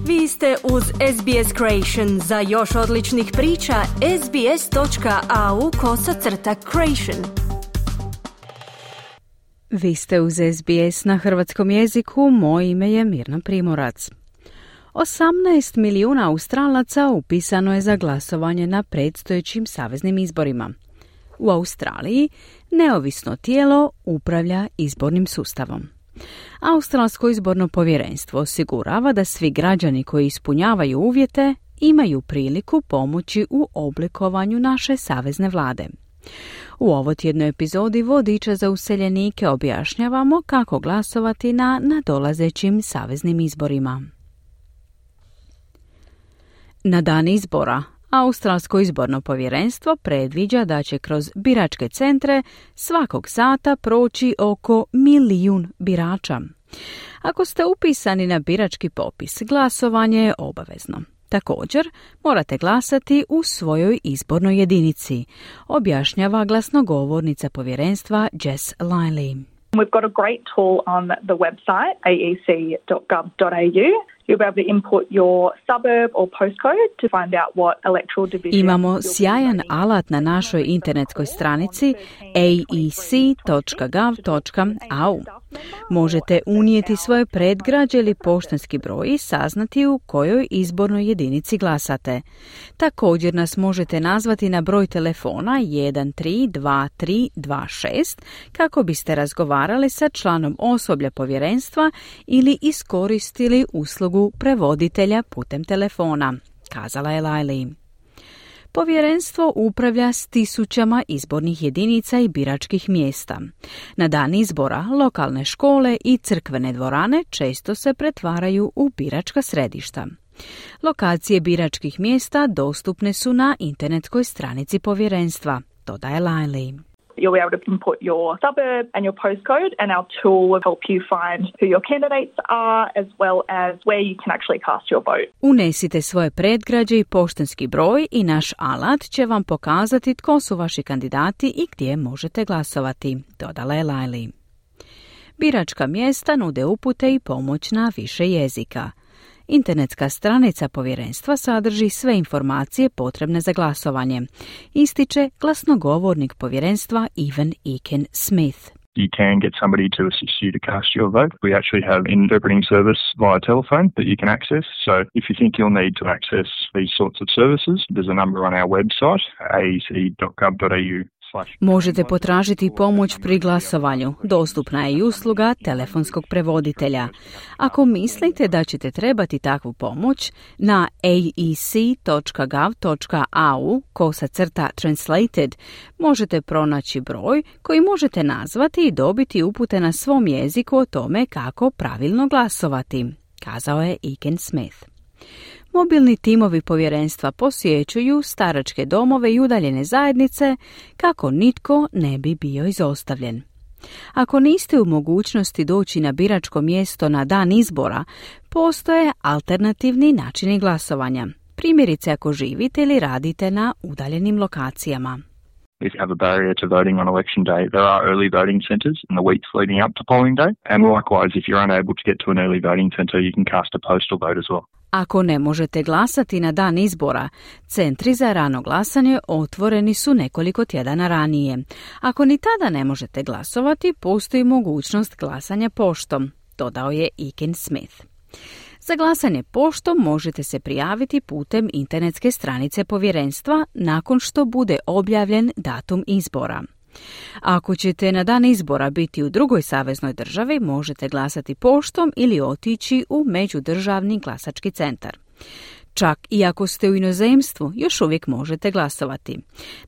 Vi ste uz SBS Creation. Za još odličnih priča, sbs.au/creation. Vi ste uz SBS na hrvatskom jeziku, moje ime je Mirna Primorac. 18 milijuna Australaca upisano je za glasovanje na predstojećim saveznim izborima. U Australiji neovisno tijelo upravlja izbornim sustavom. Australsko izborno povjerenstvo osigurava da svi građani koji ispunjavaju uvjete imaju priliku pomoći u oblikovanju naše savezne vlade. U ovotjednoj epizodi Vodiča za useljenike objašnjavamo kako glasovati na nadolazećim saveznim izborima. Na dan izbora, Australsko izborno povjerenstvo predviđa da će kroz biračke centre svakog sata proći oko 1 milijun birača. Ako ste upisani na birački popis, glasovanje je obavezno. Također, morate glasati u svojoj izbornoj jedinici, objašnjava glasnogovornica povjerenstva Jess Linley. We've got a great tool on the website, aec.gov.au. You'll be able to input your suburb or postcode to find out what electoral division. Imamo sjajan alat na našoj internetskoj stranici aec.gov.au. Možete unijeti svoje predgrađe ili poštanski broj i saznati u kojoj izbornoj jedinici glasate. Također nas možete nazvati na broj telefona 132326 kako biste razgovarali sa članom osoblja povjerenstva ili iskoristili uslugu prevoditelja putem telefona, kazala je Linley. Povjerenstvo upravlja s tisućama izbornih jedinica i biračkih mjesta. Na dan izbora lokalne škole i crkvene dvorane često se pretvaraju u biračka središta. Lokacije biračkih mjesta dostupne su na internetskoj stranici povjerenstva, dodaje Linley. You'll be able to input your suburb and your postcode, and our tool will help you find who your candidates are as well as where you can actually cast your vote. Unesite svoje predgrađe i poštanski broj i naš alat će vam pokazati tko su vaši kandidati i gdje možete glasovati, dodala je Linley. Biračka mjesta nude upute i pomoć na više jezika. Internetska stranica povjerenstva sadrži sve informacije potrebne za glasovanje, ističe glasnogovornik povjerenstva Evan Eakin Smith. You can get somebody to assist you to cast your vote. We actually have an interpreting service via telephone that you can access. So if you think you'll need to access these sorts of services, there's a number on our website, aec.gov.au. Možete potražiti pomoć pri glasovanju. Dostupna je i usluga telefonskog prevoditelja. Ako mislite da ćete trebati takvu pomoć, na aec.gov.au/translated možete pronaći broj koji možete nazvati i dobiti upute na svom jeziku o tome kako pravilno glasovati, kazao je Eakin Smith. Mobilni timovi povjerenstva posjećuju staračke domove i udaljene zajednice kako nitko ne bi bio izostavljen. Ako niste u mogućnosti doći na biračko mjesto na dan izbora, postoje alternativni načini glasovanja. Primjerice ako živite ili radite na udaljenim lokacijama. If you have a barrier to voting on election day, there are early voting centres in the weeks leading up to polling day. And likewise, if you're unable to get to an early voting centre, you can cast a postal vote as well. Ako ne možete glasati na dan izbora, centri za rano glasanje otvoreni su nekoliko tjedana ranije. Ako ni tada ne možete glasovati, postoji mogućnost glasanja poštom, dodao je Eakin Smith. Za glasanje poštom možete se prijaviti putem internetske stranice povjerenstva nakon što bude objavljen datum izbora. Ako ćete na dan izbora biti u drugoj saveznoj državi, možete glasati poštom ili otići u međudržavni glasački centar. Čak i ako ste u inozemstvu, još uvijek možete glasovati.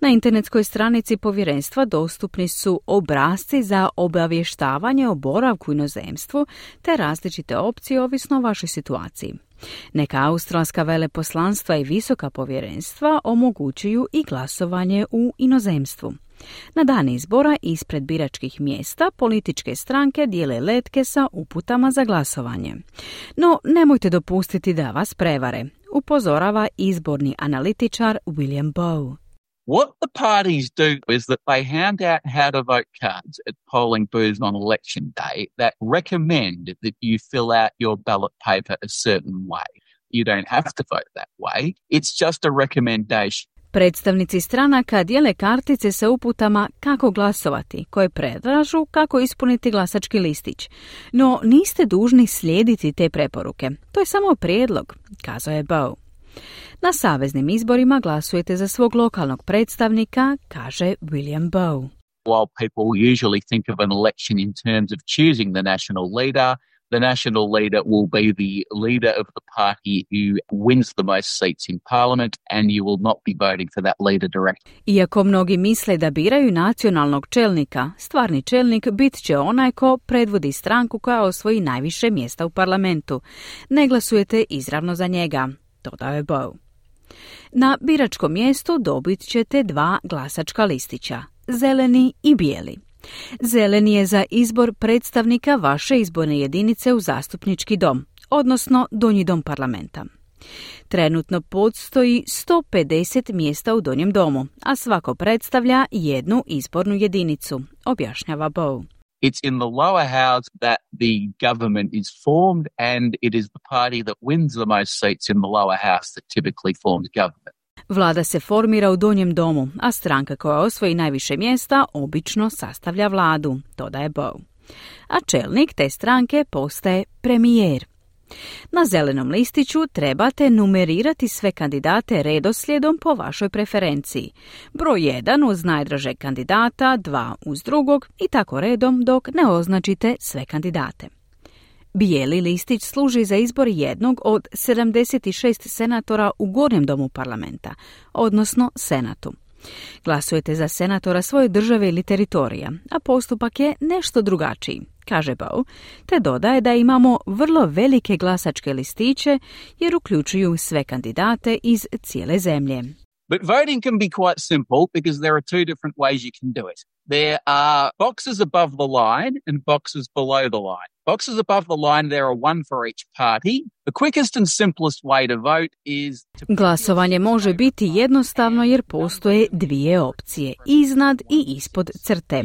Na internetskoj stranici povjerenstva dostupni su obrasci za obavještavanje o boravku u inozemstvu te različite opcije ovisno o vašoj situaciji. Neka australska veleposlanstva i visoka povjerenstva omogućuju i glasovanje u inozemstvu. Na dan izbora ispred biračkih mjesta političke stranke dijele letke sa uputama za glasovanje. No, nemojte dopustiti da vas prevare, upozorava izborni analitičar William Bowe. What the parties do is that they hand out how to vote cards at polling booths on election day that recommend that you fill out your ballot paper a certain way. You don't have to vote that way. It's just a recommendation. Predstavnici stranaka dijele kartice sa uputama kako glasovati, koje predlažu kako ispuniti glasački listić. No niste dužni slijediti te preporuke. To je samo prijedlog, kazao je Bowe. Na saveznim izborima glasujete za svog lokalnog predstavnika, kaže William Bowe. While people usually think of an election in terms of choosing the national leader will be the leader of the party who wins the most seats in parliament, and you will not be voting for that leader directly. Iako mnogi misle da biraju nacionalnog čelnika, stvarni čelnik bit će onaj ko predvodi stranku koja osvoji najviše mjesta u parlamentu. Ne glasujete izravno za njega, dodao je Bowe. Na biračkom mjestu dobit ćete 2 glasačka listića, zeleni i bijeli. Zeleni je za izbor predstavnika vaše izborne jedinice u zastupnički dom, odnosno donji dom parlamenta. Trenutno postoji 150 mjesta u donjem domu, a svako predstavlja jednu izbornu jedinicu, objašnjava Bowe. It's in the lower house that the government is formed, and it is the party that wins the most seats in the lower house that typically forms government. Vlada se formira u donjem domu, a stranka koja osvoji najviše mjesta obično sastavlja vladu, dodaje Bowe. A čelnik te stranke postaje premijer. Na zelenom listiću trebate numerirati sve kandidate redoslijedom po vašoj preferenciji. Broj 1 uz najdražeg kandidata, 2 uz drugog i tako redom dok ne označite sve kandidate. Bijeli listić služi za izbor jednog od 76 senatora u gornjem domu parlamenta, odnosno senatu. Glasujete za senatora svoje države ili teritorija, a postupak je nešto drugačiji, kaže Bowe, te dodaje da imamo vrlo velike glasačke listiće jer uključuju sve kandidate iz cijele zemlje. But voting can be quite simple because there are 2 different ways you can do it. There are boxes above the line and boxes below the line. Boxes above the line, there are 1 for each party. The quickest and simplest way to vote is to... Glasovanje može biti jednostavno jer postoje 2 opcije, iznad i ispod crte.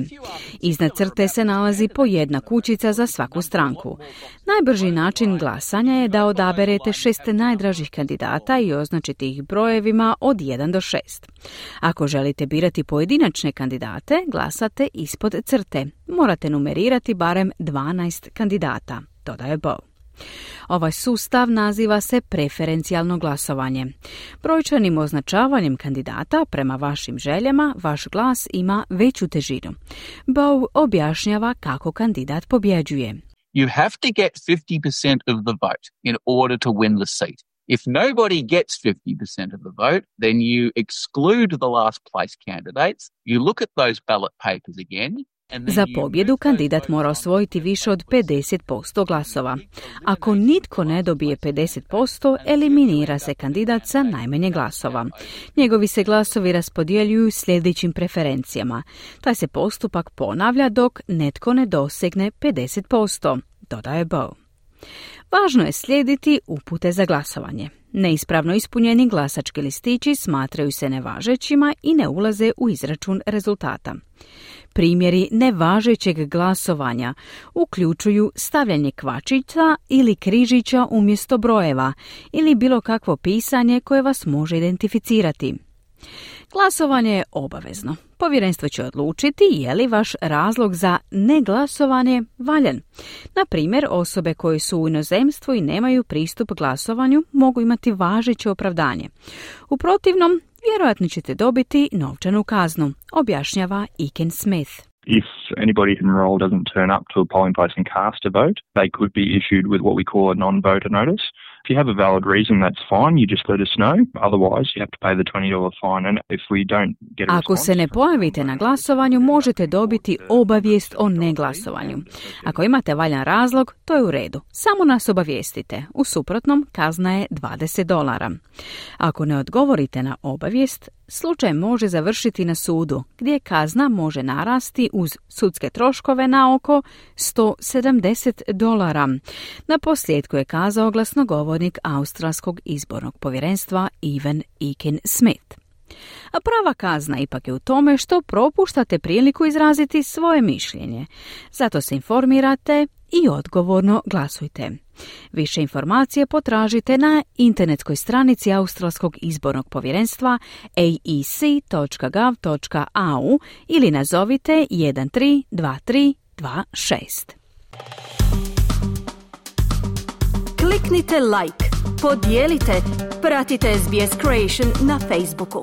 Iznad crte se nalazi po jedna kućica za svaku stranku. Najbrži način glasanja je da odaberete 6 najdražih kandidata i označite ih brojevima od 1 do 6. Ako želite birati pojedinačne kandidate, glasate ispod crte. Morate numerirati barem 12 kandidata, dodaje Bowe. Ovaj sustav naziva se preferencijalno glasovanje. Brojčanim označavanjem kandidata prema vašim željama, vaš glas ima veću težinu. Bowe objašnjava kako kandidat pobjeđuje. You have to get 50% of the vote in order to win the seat. If nobody gets 50% of the vote, then you exclude the last place candidates. You look at those ballot papers again. Za pobjedu kandidat mora osvojiti više od 50% glasova. Ako nitko ne dobije 50%, eliminira se kandidat sa najmanje glasova. Njegovi se glasovi raspodjeljuju sljedećim preferencijama. Taj se postupak ponavlja dok netko ne dosegne 50%, dodaje Bowe. Važno je slijediti upute za glasovanje. Neispravno ispunjeni glasački listići smatraju se nevažećima i ne ulaze u izračun rezultata. Primjeri nevažećeg glasovanja uključuju stavljanje kvačica ili križića umjesto brojeva ili bilo kakvo pisanje koje vas može identificirati. Glasovanje je obavezno. Povjerenstvo će odlučiti je li vaš razlog za neglasovanje valjan. Na primjer, osobe koje su u inozemstvu i nemaju pristup glasovanju mogu imati važeće opravdanje. U protivnom, vjerojatno ćete dobiti novčanu kaznu, objašnjava Iken Smith. If anybody who enrolled doesn't turn up to a polling place and cast a vote, they could be issued with what we call a non-voter notice. If you have a valid reason, that's fine. You just let us know. Otherwise, you have to pay the $20 fine. And if we don't get a response... Ako se ne pojavite na glasovanju, možete dobiti obavijest o neglasovanju. Ako imate valjan razlog, to je u redu. Samo nas obavijestite. U suprotnom, kazna je $20. Ako ne odgovorite na obavijest, slučaj može završiti na sudu, gdje kazna može narasti uz sudske troškove na oko $170. Na posljedku je kazao glasnogovornik Australskog izbornog povjerenstva Ivan Iken Smith. A prava kazna ipak je u tome što propuštate priliku izraziti svoje mišljenje. Zato se informirate i odgovorno glasujte. Više informacije potražite na internetskoj stranici Australskog izbornog povjerenstva aec.gov.au ili nazovite 132326. Kliknite like, podijelite, pratite SBS Creation na Facebooku.